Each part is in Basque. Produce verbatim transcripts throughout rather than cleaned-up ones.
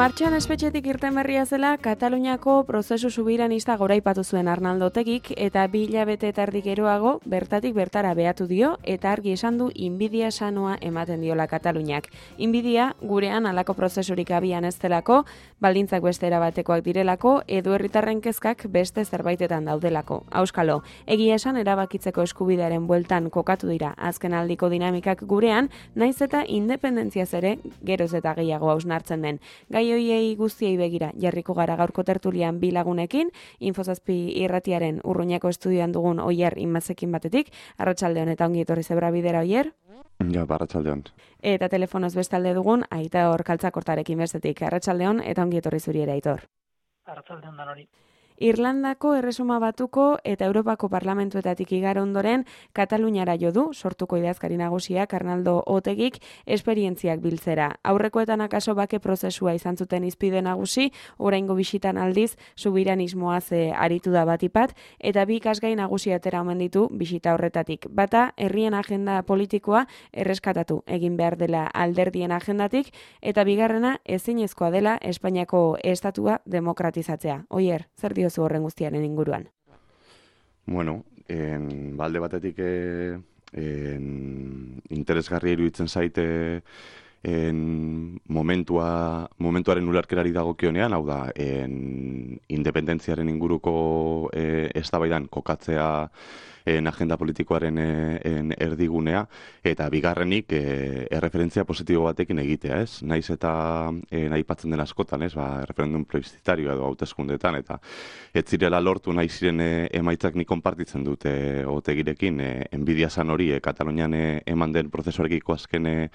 Martxoan espetxetik irten berria zela, Kataluniako prozesu subiranista goraipatu zuen Arnaldo Otegik eta bi hilabete eta erdi geroago bertatik bertara behatu dio eta argi esan du inbidia sanoa ematen diola Kataluniak. Inbidia gurean halako prozesurik abian ez delako, baldintzak beste erabatekoak direlako edo herritarren kezkak beste zerbaitetan daudelako. Auskalo, egia esan erabakitzeko eskubidearen bueltan kokatu dira azken aldiko dinamikak gurean, naiz eta independentziaz ere geroz eta gehiago hausnartzen den. Gai hoiei guztiei begira jarriko gara gaurko tertulian bi lagunekin, Infozazpi irratiaren Urruñako estudioan dugun Oier Inmazekin batetik, arratsaldeon eta ongi etorri zebra bidera Oier. Ja, arratsaldeon. Eta telefonoz bestalde dugun Aitor Kaltzakortarekin bestetik, arratsaldeon eta ongi etorri zuri ere Aitor. Arratsaldeon danori. Irlandako Erresuma Batuko eta Europako Parlamentuetatik igaro ondoren Kataluniara jo du, sortuko idazkari nagusiak Arnaldo Otegik esperientziak biltzera. Aurrekoetan akaso bake prozesua izan zuten izpide nagusi, oraingo bisitan aldiz subiranismoaz e, aritu da batipat, eta bi ikasgai nagusi atera omen ditu bisita horretatik. Bata, herrien agenda politikoa erreskatatu egin behar dela alderdien agendatik, eta bigarrena ezinezkoa dela Espainiako estatua demokratizatzea. Oier, zer dio zu horren guztiaren inguruan? Bueno, en, balde batetik e, en, interesgarri iruditzen zaite en, momentua, momentuaren ulerkerari dagokionean, hau da, en, independentziaren inguruko e, eztabaidan kokatzea en agenda politikoaren en erdigunea, eta bigarrenik e, erreferentzia positibo batekin egitea, ez? Naiz eta e, aipatzen den askotan, ez? Ba, referendum plebiszitarioa edo hauteskundeetan, eta ez zirela lortu nahi ziren e, emaitzak nik konpartitzen dute Otegirekin, e, enbidia zan hori, e, Katalunian e, eman den prozesuarekiko azken, e,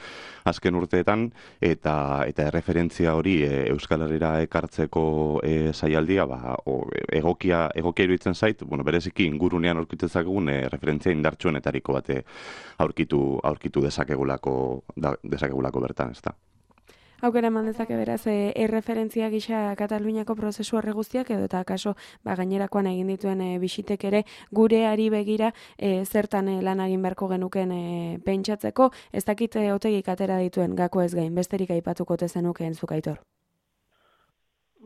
azken urteetan, eta eta erreferentzia hori e, Euskal Herrira ekartzeko e, saialdia, ba, o, egokia, egokia iruditzen zait, bueno, bereziki ingurunean aurkitzen E, referentzia indartsuenetariko bate aurkitu aurkitu dezakegulako da, dezakegulako bertan, ezta. Aukera eman dezake beraz e, erreferentzia gisa Kataluniako prozesu horre guztiak edo eta akaso ba, gainerakoan egin dituen e, bisitek ere gureari begira e, zertan e, lan egin beharko genuken e, pentsatzeko, ez dakit e, Otegik atera dituen gako ez gain, besterik aipatuko tezenukeen zuk Aitor.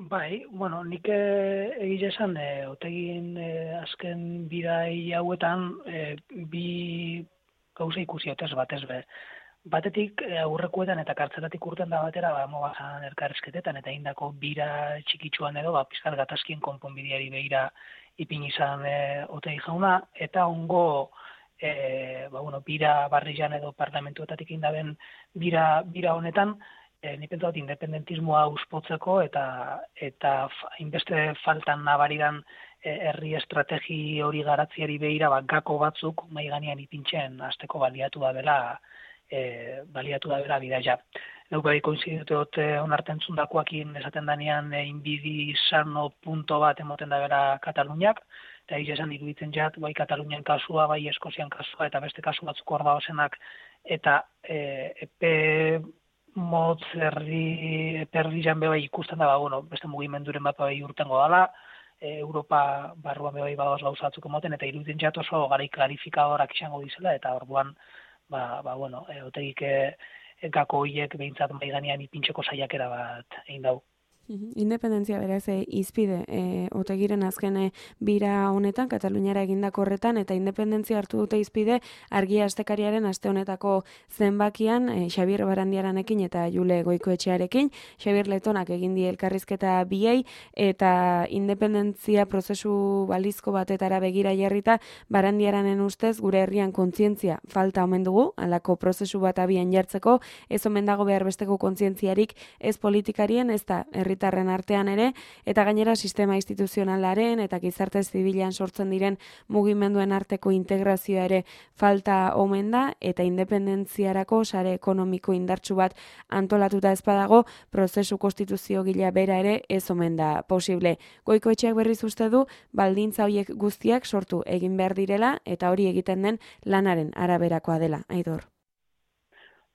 Bai, bueno, nik egile esan, e, Otegin e, azken bidai hauetan e, bi gauza ikusi otez batez be. Batetik e, aurrekoetan eta kartzelatik urten da batera, ba, mogazan elkarrezketetan eta indako bira txikitsuan edo, ba, pizkat gatazkien konponbideari behira ipin izan e, Otegi jauna, eta ongo e, ba, bueno, bira barrian edo parlamentuetatik indaben bira, bira honetan, E, nik pentsat independentismoa uspotzeko eta eta hainbeste faltan nabaridan e, herri estrategi hori garatziari behira ba, gako batzuk mahai gainean ipintzen hasteko baliatu da bela e, baliatu da bela bidaia. Neu bai koinziditu dut onartzen zundakoakin esaten danean e, inbidi sano punto bat emoten da bela Kataluniak, eta egia esan iruditzen jat, bai Katalunian kasua, bai Eskozian kasua eta beste kasu batzuk hor dauzenak eta e, epe motz herri perdian bebai ikusten da, ba, bueno, beste mugimenduren bat bai urtengo dala, e, Europa barruan bebai badoz gauza batzuk emoten, eta iruditzen jat oso garai klarifikadorak izango dizela, eta orduan, ba, ba bueno, e, Otegik e, gako horiek behintzat mai ganean ipintzeko saiakera bat egin dau. Independentzia beraz e, izpide e, Otegiren azken e, bira honetan, Kataluniara egindako horretan, eta independentzia hartu dute izpide argia astekariaren aste honetako zenbakian e, Xabier Barandiaranekin eta Jule Goikoetxearekin. Xabier Letonak egin die elkarrizketa biei eta independentzia prozesu balizko batetara begira jarrita Barandiaranen ustez gure herrian kontzientzia falta omen dugu, halako prozesu bat abian jartzeko, ez omen dago behar besteko kontzientziarik ez politikarien, ez da herri herritarren artean ere, eta gainera sistema instituzionalaren eta gizarte zibilan sortzen diren mugimenduen arteko integrazioa ere falta omen da, eta independentziarako sare ekonomiko indartsu bat antolatuta ez badago, prozesu konstituzio gila bera ere ez omen da posible. Goikoetxeak berriz uste du, baldintza horiek guztiak sortu egin behar direla, eta hori egiten den lanaren araberakoa dela, Aitor.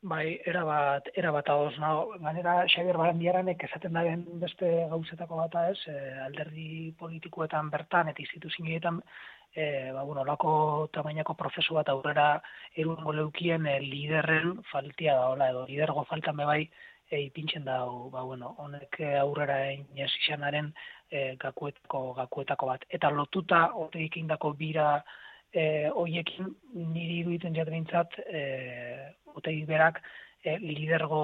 Bai, erabat, erabat ahoz, nago. Gainera, Xabier Barandiaranek esaten daren beste gauzetako bata ez, e, alderdi politikoetan bertan eta instituzioetan, e, ba, bueno, lako tamainako prozesu bat aurrera erungo leukien e, liderren faltia da, hola, edo lidergo faltan bebai e, ipintzen da, ba, bueno, honek aurrera inez izanaren e, gakuetako, gakuetako bat. Eta lotuta Otegik indako bira e, hoiekin niri iruditzen jatrintzat e, Otegik berak e, lidergo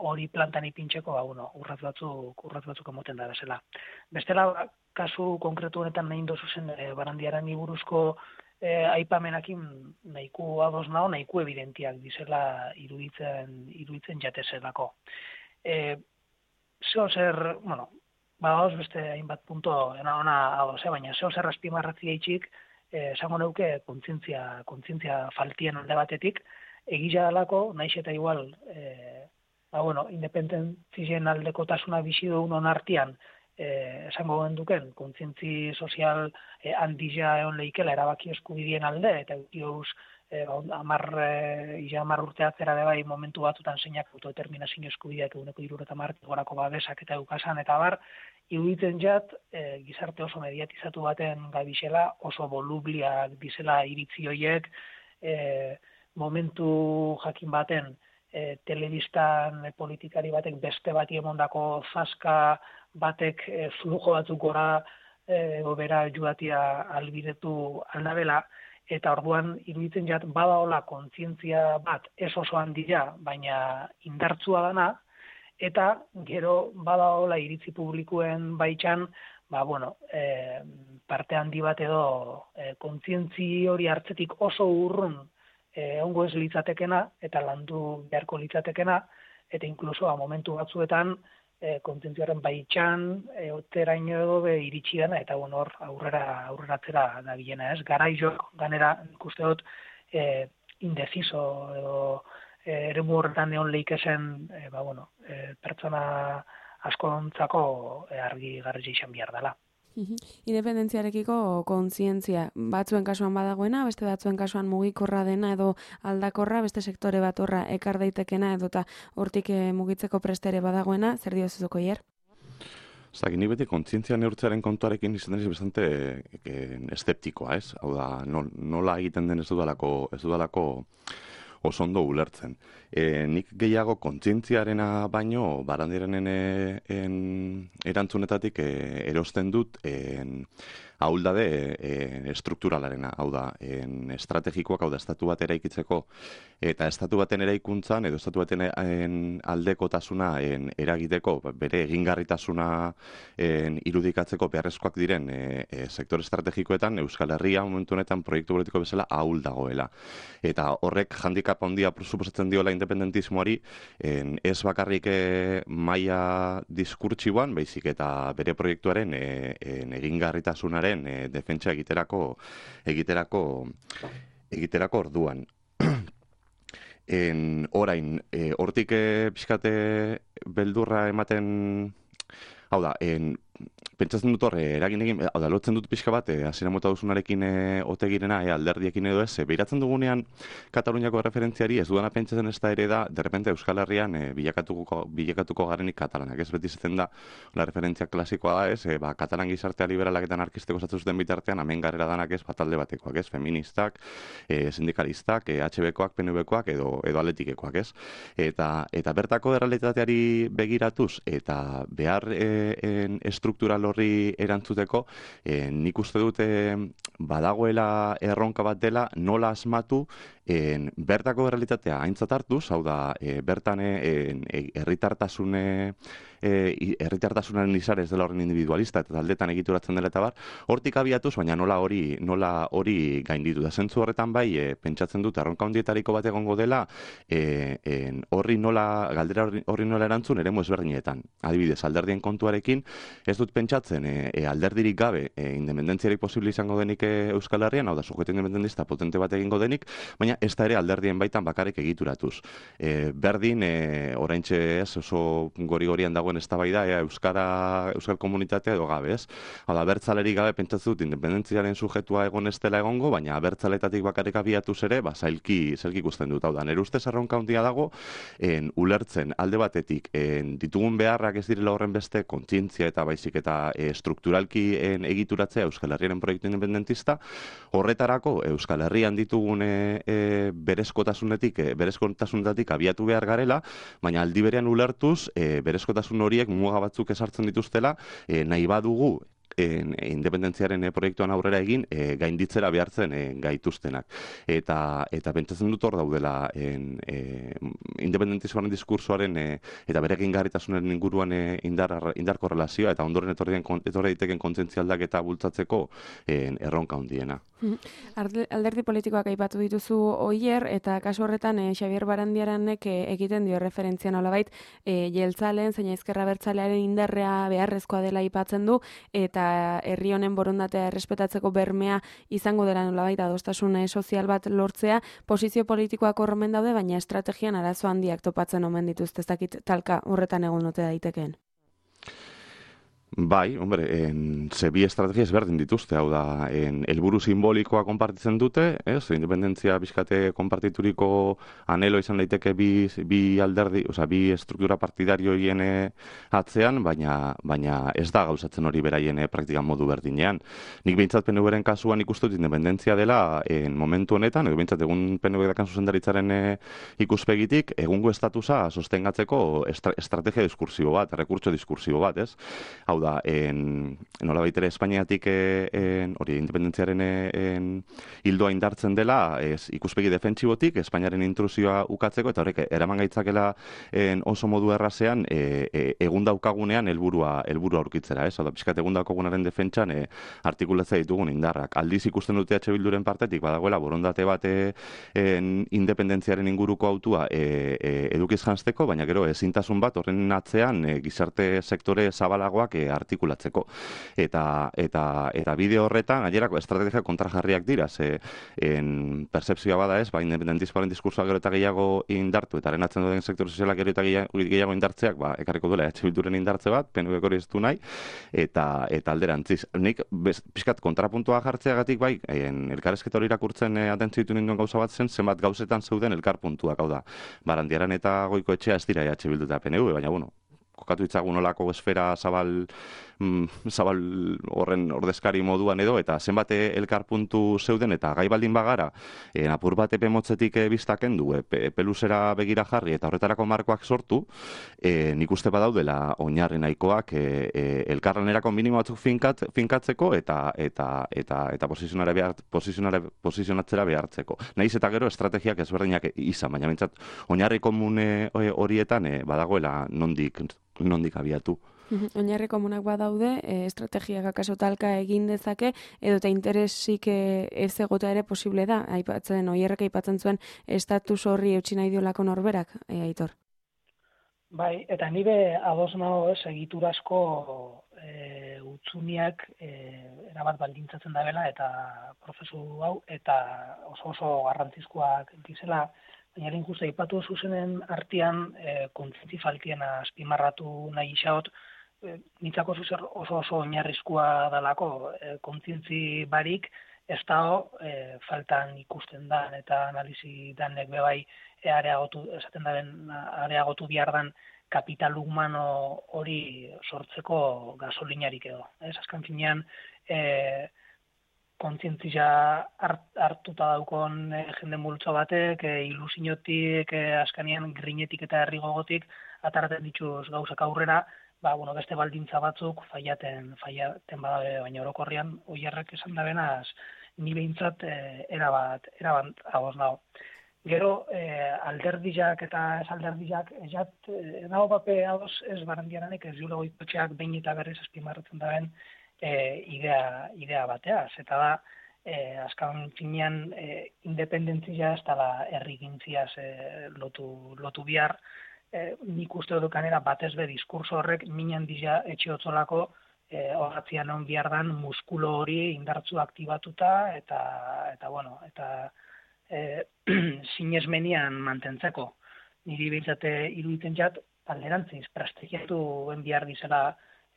hori plantan ipintzeko, ba, bueno, urratz batzuk, urratz batzuk emoten da bezala. Bestela, kasu konkretu honetan nahi dozu zen e, Barandiaran buruzko E, aipamenakin nahiko ados nao, nahiko evidentiak dizela iruditzen, iruditzen jatezelako. E, zeo zer, bueno, badaoz beste hainbat punto ena ona ados, eh, baina zeo zer azpimarratzi eitxik, e, esango neuke kontzientzia, kontzientzia faltien alde batetik, egila dalako, naiz eta igual, e, ba, bueno, independentzien aldeko tasuna bizi dugun onartian, Eh, esango genduken, kontzientzi sozial eh, handila egon lehikela erabaki eskubidien alde, eta eutiauz eh, amar, eh, ija amar urteatzera de bai momentu batutan zeinak autodeterminazio eskubideak eguneko irureta martik gorako babesak eta eukasan, eta bar, iruditzen jat, eh, gizarte oso mediatizatu baten gabixela, oso volubliak dizela iritzi horiek, eh, momentu jakin baten, E, telebistan e, politikari batek beste bati emondako zaska batek e, flujo batzuk gora e, obera joatia albidetu aldabela, eta orduan iruditzen jat badaola kontzientzia bat ez oso handia, baina indartsua dana, eta gero badaola iritzi publikoen baitxan, ba, bueno, e, parte handi bat edo e, kontzientzi hori hartzetik oso urrun ongo ez litzatekena, eta landu beharko litzatekena, eta inkluso a momentu batzuetan e, kontzientziaren baitxan, e, oteraino edo be iritsi dena, eta bueno, hor aurrera aurreratzera da bilena, ez? Garaizok, ganera, ikuste dut, e, indeciso edo e, eremu horretan egon leikezen, e, ba, bueno, e, pertsona askontzako e, argi garri izan behar dela. Independentziarekiko kontzientzia batzuen kasuan badagoena, beste batzuen kasuan mugikorra dena edo aldakorra, beste sektore bat horra ekar daitekena edo eta hortik mugitzeko prestere badagoena, zer diozuzuko hier? Zaki, nik beti kontzientzia neurtzearen kontuarekin izan deniz bastante e, eszeptikoa, ez? Hau da, nola egiten den ez dudalako, ez dudalako oso ondo ulertzen. E, nik gehiago kontzientziarena baino, Barandiaranen erantzunetatik e, erosten dut en, ahuldade e, estrukturalaarena, hau da, en, estrategikoak, hau da, estatu bat eraikitzeko, eta estatu baten eraikuntzan, edo estatu baten en, aldekotasuna en, eragiteko, bere egingarritasuna en, irudikatzeko beharrezkoak diren e, e, sektor estrategikoetan, Euskal Herria momentu honetan proiektu politiko bezala ahul dagoela. Eta horrek handikap handia suposatzen diola independentismoari, en, ez bakarrik e, maila diskurtsiboan, baizik eta bere proiektuaren e, en, egingarritasunaren E, defentsa egiterako egiterako egiterako orduan. En orain, e, hortik e, pixkate beldurra ematen, hau da, en, pentsatzen dut horre, eragin egin, hau da, lotzen dut pixka bat, hasiera mota duzunarekin e, Otegirena, e, alderdiekin edo ez, e, behiratzen dugunean Kataluniako referentziari ez dudana pentsatzen ez da ere da, derrepente Euskal Herrian e, bilakatuko, bilakatuko garenik katalanak, ez beti zaten da, la referentzia klasikoa da, ez, e, ba, katalan gizartea liberalak eta anarkisteko zatzen zuten bitartean, hemen garrera danak ez, batalde batekoak, ez, feministak, e, sindikalistak, e, H B koak, P N V koak, edo, edo atletikekoak, ez, eta, eta bertako errealitateari begiratuz, eta behar e, en, estruktural horri erantzuteko, e, nik uste dute badagoela erronka bat dela nola asmatu en, bertako errealitatea aintzat hartuz, hau da, e, bertan herritartasune e, herritartasunaren izar ez dela horren individualista eta taldetan egituratzen dela eta bar, hortik abiatuz, baina nola hori nola hori gainditu da. Zentzu horretan bai, e, pentsatzen dut, erronka handietariko bat egongo dela, e, en, horri nola, galdera horri, horri nola erantzun eremu ezberdinetan. Adibidez, alderdien kontuarekin, ez dut pentsatzen, e, e, alderdirik gabe, e, independentziarik posible izango denik e, Euskal Herrian, hau da, sujeto independentista potente bat egingo denik, baina ez da ere alderdien baitan bakarrik egituratuz. E, berdin, e, oraintxe ez, oso gori-gorian dagoen eztabaida, ea Euskara, Euskal komunitatea edo gabe, ez? Hau da, abertzalerik gabe pentsatzen dut independentziaren sujetua egon ez dela egongo, baina abertzaletatik bakarrik abiatuz ere, ba, zailki, zailki ikusten dut. Hau da, nire ustez erronka handia dago, en, ulertzen alde batetik, en, ditugun beharrak ez direla horren beste kontzientzia eta baizik eta e, strukturalki en, egituratzea Euskal Herriaren proiektu independentista, horretarako Euskal Herrian ditugun e, e, e, berezkotasunetik, e, berezkotasunetatik abiatu behar garela, baina aldi berean ulertuz, e, berezkotasun horiek muga batzuk ezartzen dituztela, e, nahi badugu en, independentziaren e, proiektuan aurrera egin, e, gainditzera behartzen e, gaituztenak. Eta, eta pentsatzen dut hor daudela en, e, independentismoaren diskursoaren e, eta bere egingarritasunaren inguruan e, indar, indarko relazioa eta ondoren etorri daiteken kontzientzia aldaketa bultzatzeko en, erronka handiena. Alderdi politikoak aipatu dituzu Oier, eta kasu horretan eh, Xabier Barandiaranek eh, egiten dio referentzia nolabait eh, jeltzaleen zein ezkerra abertzalearen indarrea beharrezkoa dela aipatzen du, eta herri honen borondatea errespetatzeko bermea izango dela nolabait adostasun eh, sozial bat lortzea. Posizio politikoak horremen daude, baina estrategian arazo handiak topatzen omen dituzte, ez dakit talka horretan egon ote daitekeen. Bai, hombre, en, ze bi estrategia ezberdin dituzte, hau da, en, helburu simbolikoa konpartitzen dute, ez, independentzia bizkate konpartituriko anelo izan daiteke bi, bi alderdi, oza, bi struktura partidarioien atzean, baina, baina ez da gauzatzen hori beraien praktikan modu berdinean. Nik behintzat P N V-ren kasuan ikustut independentzia dela en momentu honetan, edo behintzat egun P N V dakan zuzendaritzaren e, ikuspegitik, egungo estatusa sostengatzeko estra, estrategia diskursibo bat, rekurtso diskursibo bat, ez? Hau da, en, nola baitere Espainiatik en, hori independentziaren en, hildoa indartzen dela, ez, ikuspegi defentsibotik, Espainiaren intrusioa ukatzeko, eta horrek eraman gaitzakela en, oso modu errazean e, e, egun daukagunean helburua helburua aurkitzera, ez? Hau da, pixkat egun daukagunaren defentsan e, artikulatzea ditugun indarrak. Aldiz ikusten dute H Bilduren partetik, badagoela borondate bat e, en, independentziaren inguruko autua e, e, edukiz janzteko, baina gero ezintasun bat horren atzean e, gizarte sektore zabalagoak e, artikulatzeko. Eta, eta, eta bideo horretan, gainerako estrategia kontrajarriak dira, ze en, percepzioa bada ez, ba, independentismoaren diskursoa gero eta gehiago indartu, eta arenatzen duten sektore sozialak gero eta gehiago indartzeak, ba, ekarriko duela H Bilduren indartze bat, P N V hori ez du nahi, eta, eta alderantziz. Nik, bez, pixkat kontrapuntua jartzeagatik, bai, en, elkarrezketa hori irakurtzen e, atentzio ditu ninduen gauza bat zen, zenbat gauzetan zeuden elkarpuntuak, hau da, Barandiaran eta Goiko Etxea ez dira H Bildu eta P N V, baina, bueno, kokatu itzagun olako esfera zabal, mm, zabal horren ordezkari moduan edo, eta zenbat elkarpuntu zeuden, eta gai baldin bagara, e, apur bat epe motzetik e, biztaken du, e, peluzera begira jarri, eta horretarako markoak sortu, e, nik uste badaudela oinarri nahikoak e, e, elkarlanerako minimo batzuk finkat, finkatzeko, eta eta eta eta posizionare behar, posizionare, posizionatzera behartzeko. Nahiz eta gero estrategiak ezberdinak izan, baina bintzat, oinarri komune horietan e, badagoela nondik nondik abiatu. Oinarri komunak badaude, e, estrategiak akaso talka egin dezake, edo eta interesik e, ez egotea ere posible da, aipatzen, Oierrek aipatzen zuen estatus horri eutsi nahi diolako norberak, e, Aitor? Bai, eta nire ados nago ez, egiturazko e, utzuniak e, erabat baldintzatzen da bela, eta prozesu hau, eta oso oso garrantzizkoak dizela, baina injustu aipatu zuzenen artean e, kontzientzi faltiena azpimarratu nahi xaot, e, nitzako zuzer oso oso oinarrizkoa dalako e, kontzientzi barik ez dago e, faltan ikusten da, eta analizi danek bebai e, areagotu, esaten daren areagotu behar dan kapital humano hori sortzeko gasolinarik edo. Ez, azkan finean, e, kontzientzia hart, hartuta daukon e, jende multzo batek, e, ilusiotik, e, askanean grinetik eta herri gogotik, ataraten dituz gauzak aurrera, ba, bueno, beste baldintza batzuk faiaten, faiaten badabe, baina orokorrian Oierrek esan da benaz, ni behintzat e, erabat, erabat agoz nago. Gero, e, alderdizak eta ez alderdizak, ezat, e, nago pape agoz ez Barandiaranek ez diulo Goikotxeak behin eta berriz azpimarratzen da ben, E, idea, idea bateaz, eta da, e, azkan finean e, independentzia ez dela herrigintziaz e, lotu, lotu bihar, e, nik uste dut kanera batez be diskurso horrek minan dira etxeotzolako e, horratzian on bihar dan muskulo hori indartzu aktibatuta, eta, eta bueno, eta e, sinesmenian mantentzeko. Niri behintzate iruditzen jat, alderantziz, prestigiatu ben bihar dizela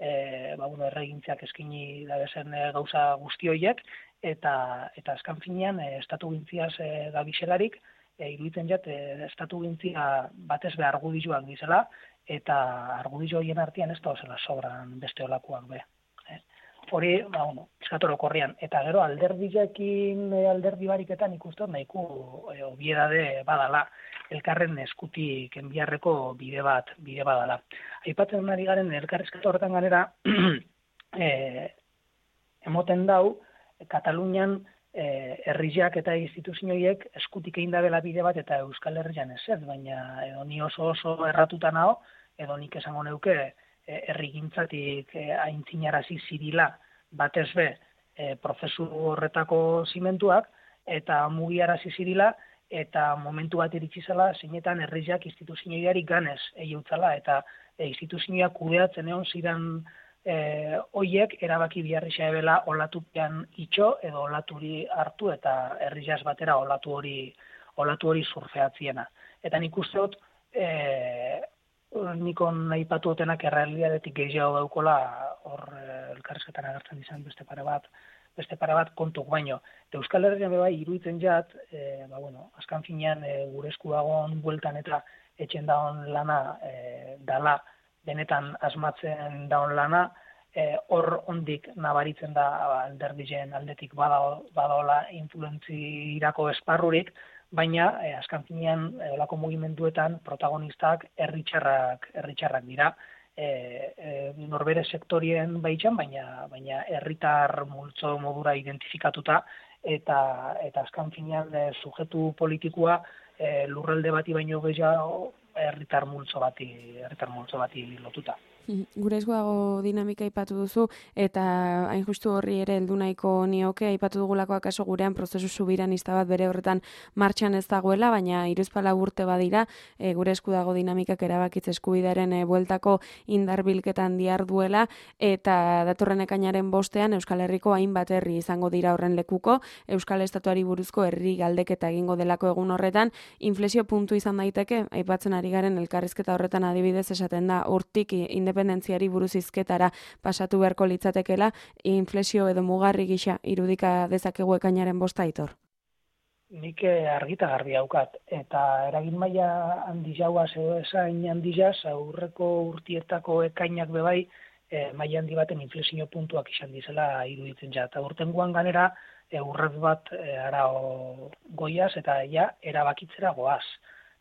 E, ba, bueno, erregintziak eskini dabezen e, gauza guzti horiek, eta, eta azkan finean e, estatu gintziaz e, gabixelarik, e, iruditzen jat, e, estatu gintzia batez be argudioak dizela, eta argudio horien artean ez da zela sobran beste olakoak be. E. hori, ba, bueno, eskatoro korrian. Eta gero, alderdiakin, alderdi bariketan ikusten nahiko e, obiedade badala, elkarren eskutik enbiarreko bide bat, bide badala. Aipatzen ari garen elkarrizketa horretan ganera, e, emoten dau, Katalunian e, herriak eta instituzioiek eskutik egin dabela bide bat eta Euskal Herrian ez ez, baina edo ni oso oso erratuta nao, edo nik esango neuke herrigintzatik e, aintzinarazi zirila batez be e, prozesu horretako zimentuak eta mugiarazi zirila eta momentu bat iritsi zela zeinetan herriak instituzioiari ganez eiutzala eta e, instituzioak kudeatzen egon ziren E, oiek erabaki biharri xaebela olatupean itxo edo olaturi hartu eta herriaz batera olatu hori olatu hori surfeatziena. Eta nik uste dut e, nikon aipatu otenak errealidadetik gehiago daukola hor e, elkarrizketan agertzen izan beste pare bat beste pare bat kontuk baino. Eta Euskal Herrian bai iruditzen jat, e, ba, bueno, azkan finean e, gure esku dagoen bueltan eta etxen dagoen lana e, dala benetan asmatzen daun lana, hor e, ondik nabaritzen da alderdien aldetik badaola influentzirako esparrurik, baina e, azkan finean e, olako mugimenduetan protagonistak herritxarrak herritxarrak dira, e, e, norbere sektorien baitxan, baina baina herritar multzo modura identifikatuta, eta eta azkan finean e, sujetu politikoa e, lurralde bati baino gehiago herritar multzo bati, herritar multzo bati lotuta. Gure esku dago dinamika aipatu duzu, eta hain justu horri ere heldu nahiko nioke, aipatu dugulako akaso gurean prozesu subiranista bat bere horretan martxan ez dagoela, baina hiruzpalau urte badira, e, gure esku dago dinamikak erabakitze eskubidearen e, bueltako indarbilketan diharduela, eta datorren ekainaren bostean Euskal Herriko hainbat herri izango dira horren lekuko, Euskal Estatuari buruzko herri galdeketa egingo delako egun horretan, inflexio puntu izan daiteke, aipatzen ari garen elkarrizketa horretan adibidez esaten da hortik independentziari buruz hizketara pasatu beharko litzatekela, inflexio edo mugarri gisa irudika dezakegu ekainaren bosta, Aitor? Nik argita garbi daukat, eta eragin maila handi jauaz edo esain handi jaz, aurreko urtietako ekainak bebai, e, maila handi baten inflexio puntuak izan dizela iruditzen ja. Eta urtengoan ganera, e, urrez bat e, arao goiaz, eta ja, erabakitzera goaz.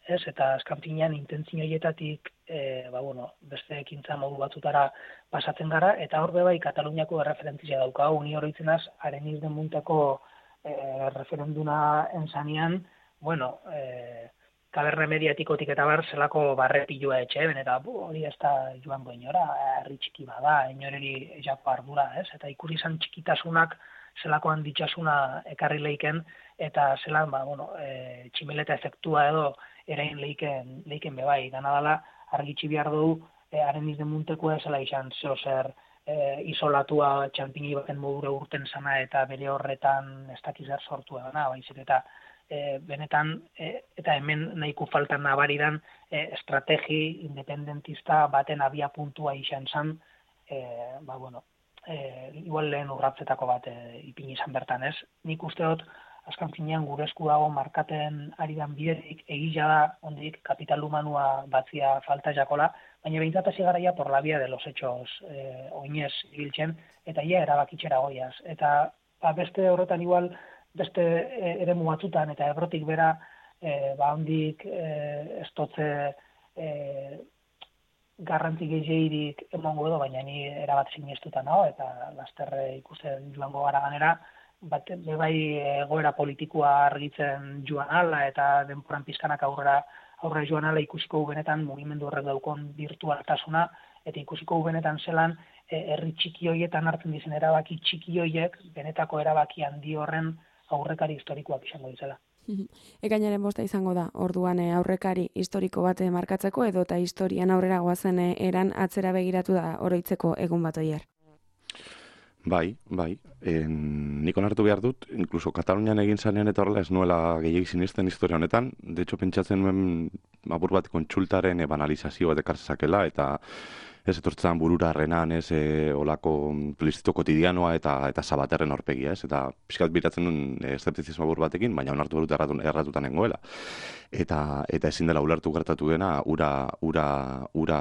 Ez, eta azkan finean intentzio hietatik e, ba, bueno, beste ekintza modu batzutara pasatzen gara, eta hor bebai Kataluniako erreferentzia daukagu, ni horitzen az, haren izden munteko e, referenduna enzanean, bueno, e, kaberre mediatikotik eta bar zelako barrepilua etxe, ben, eta bu, hori ez da joango inora, herri txiki bada, inoreri jako ardura, ez, eta ikusi izan txikitasunak zelako handitxasuna ekarri leiken, eta zelan, ba, bueno, e, tximeleta efektua edo erain leiken, leiken bebai, dana dela argitxi behar dugu, e, haren izden muntekoa zela izan zeo zer e, isolatua txampini baten modura urten zana eta bere horretan ez dakizar sortu edana, baizik eta e, benetan, e, eta hemen nahiko faltan nabaridan e, estrategi independentista baten abia puntua izan zan, e, ba, bueno, e, igual lehen urratzetako bat e, ipin izan bertan ez. Nik uste dut, azkan finean gure esku dago markaten aridan biderik egila da ondik kapital humanua batzia falta jakola, baina behintzat hasi garaia por la vía de los hechos eh, oinez ibiltzen, eta ia erabakitxera goiaz. Eta ba, beste horretan igual, beste e, eremu batzutan, eta ebrotik bera, e, ba ondik e, estotze e, garrantzi gehiagirik emongo edo, baina ni erabat sinestuta nago, eta lasterre ikusten joango gara ganera, bat bebai egoera politikoa argitzen joan ala eta denporan pizkanak aurrera aurrera joan ala ikusiko benetan mugimendu horrek daukon virtualtasuna eta ikusiko benetan zelan herri txiki hoietan hartzen dizen erabaki txiki hoiek benetako erabaki handi horren aurrekari historikoak izango dizela. Ekainaren bosta izango da, orduan aurrekari historiko bat markatzeko edo eta historian aurrera goazen eran atzera begiratu da oroitzeko egun bat oier. Bai, bai. En, nik onartu behar dut, inkluso Katalunian egin zanean eta horrela ez nuela gehiagik sinisten historia honetan. De hecho, pentsatzen nuen apur bat kontsultaren banalizazio bat ekartzakela eta ez etortzen burura renan, ez, e, olako plebizito kotidianoa eta eta Sabaterren aurpegia, ez, eta pixkat biratzen duen e, eszeptizismo buru batekin, baina onartu berut erratu, erratutan nengoela. Eta eta ezin dela ulertu gertatu dena, ura, ura, ura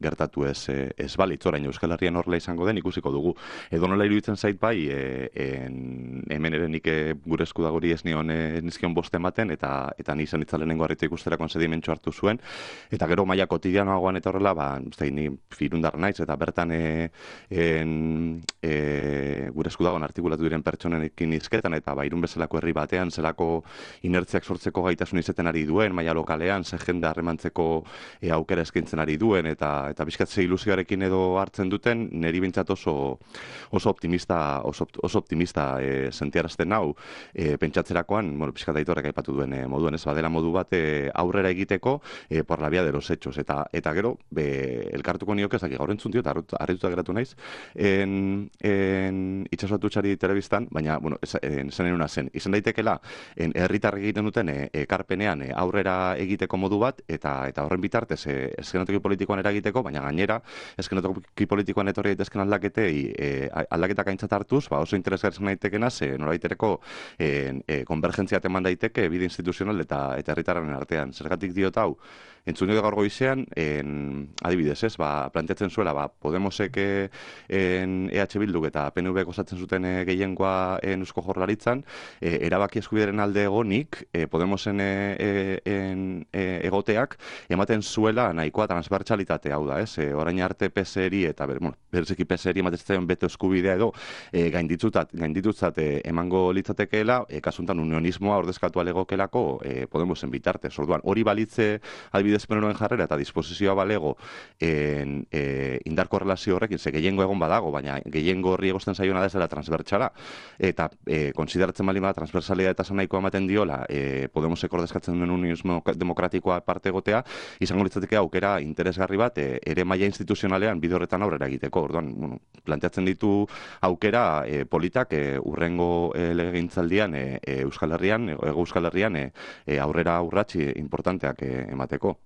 gertatu ez, ez balitz, orain Euskal Herrian horrela izango den ikusiko dugu. Edo nola iruditzen zait bai, e, en, hemen ere nik gure eskudagori ez nion ez nizkion boste ematen, eta eta ni izan itzalenengo harritu ikusterakoan sedimentxo hartu zuen, eta gero maila kotidianoagoan eta horrela, ba, uste, ni firundar naiz, eta bertan e, en, e, gure eskudagoan artikulatu diren pertsonenekin izketan, eta ba, Irun bezalako herri batean, zelako inertziak sortzeko gaitasun izeten ari duen, maila lokalean, ze jende harremantzeko e, aukera eskaintzen ari duen, eta eta bizkat ze ilusioarekin edo hartzen duten, niri bintzat oso, oso optimista, oso, oso optimista e, sentiarazten hau, e, pentsatzerakoan, bueno, bizkat aitorrek aipatu duen e, moduen, ez badela modu bat e, aurrera egiteko e, por la vía de los hechos, eta eta gero, be, elkartuko nioke, ezak gaur entzun dio, eta harrituta geratu naiz, en, en itxasatu txari telebistan, baina, bueno, esan enuna zen, izan daitekela, herritarrek egiten duten e, ekarpenean e, aurrera egiteko modu bat, eta eta horren bitartez e, eskenatoki politikoan eragiteko, baina gainera, eskenatoki politikoan etorri daitezken aldaketei e, aldaketak aintzat hartuz, ba, oso interesgarri izan daitekena, ze noraitereko e, e, konvergentzia teman daiteke bide instituzional eta eta herritarren artean. Zergatik diot hau, entzun gaur goizean, en, adibidez, ez, ba, planteatzen zuela, ba, Podemosek en, E H Bilduk eta P N V osatzen zuten e, gehiengoa en Eusko Jaurlaritzan, e, erabaki eskubideren alde egonik, e, Podemosen e, en, e, egoteak, ematen zuela nahikoa transbertsalitate hau da, ez, e, orain arte P S eri eta, ber, bueno, bereziki P S eri ematen beto eskubidea edo, e, gainditutzat, gainditutzat e, emango litzatekeela, e, kasuntan unionismoa ordezkatu alegokelako e, Podemosen bitartez. Orduan, hori balitze adibidez penoroen jarrera eta disposizioa balego en, e, indarko relazio horrekin, ze gehiengo egon badago, baina gehiengo horri egosten zaiona da ez dela transbertsala, eta e, konsideratzen bali bada transbertsalia eta nahikoa ematen diola, e, Podemosek ordezkatzen duen unionismo demokratikoa parte egotea, izango litzateke aukera interesgarri bat, e, ere maila instituzionalean bide horretan aurrera egiteko. Orduan, bueno, planteatzen ditu aukera e, politak e, urrengo e, legegintzaldian e, e, Euskal Herrian, e, Ego Euskal Herrian e, e, aurrera urratsi importanteak e, emateko.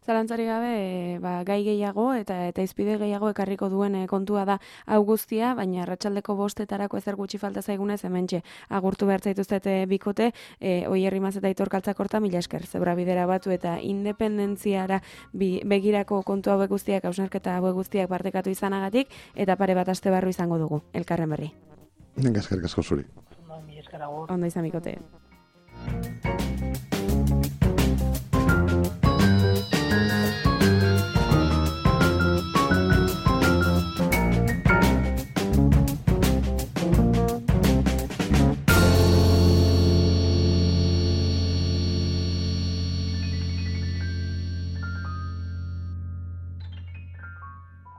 Zalantzari gabe, ba, gai gehiago eta eta izpide gehiago ekarriko duen kontua da hau guztia, baina arratsaldeko bostetarako ezer gutxi falta zaigunez hementxe agurtu behar zaituztete bikote, e, Oier Rimaz eta Aitor Kaltzakorta, mila esker, zebra bidera batu eta independentziara bi, begirako kontu hauek guztiak, hausnarketa hauek guztiak partekatu izanagatik, eta pare bat aste barru izango dugu, elkarren berri. Venga, eskerrik asko zuri. Ondo, mila esker agur. Ondo izan bikote.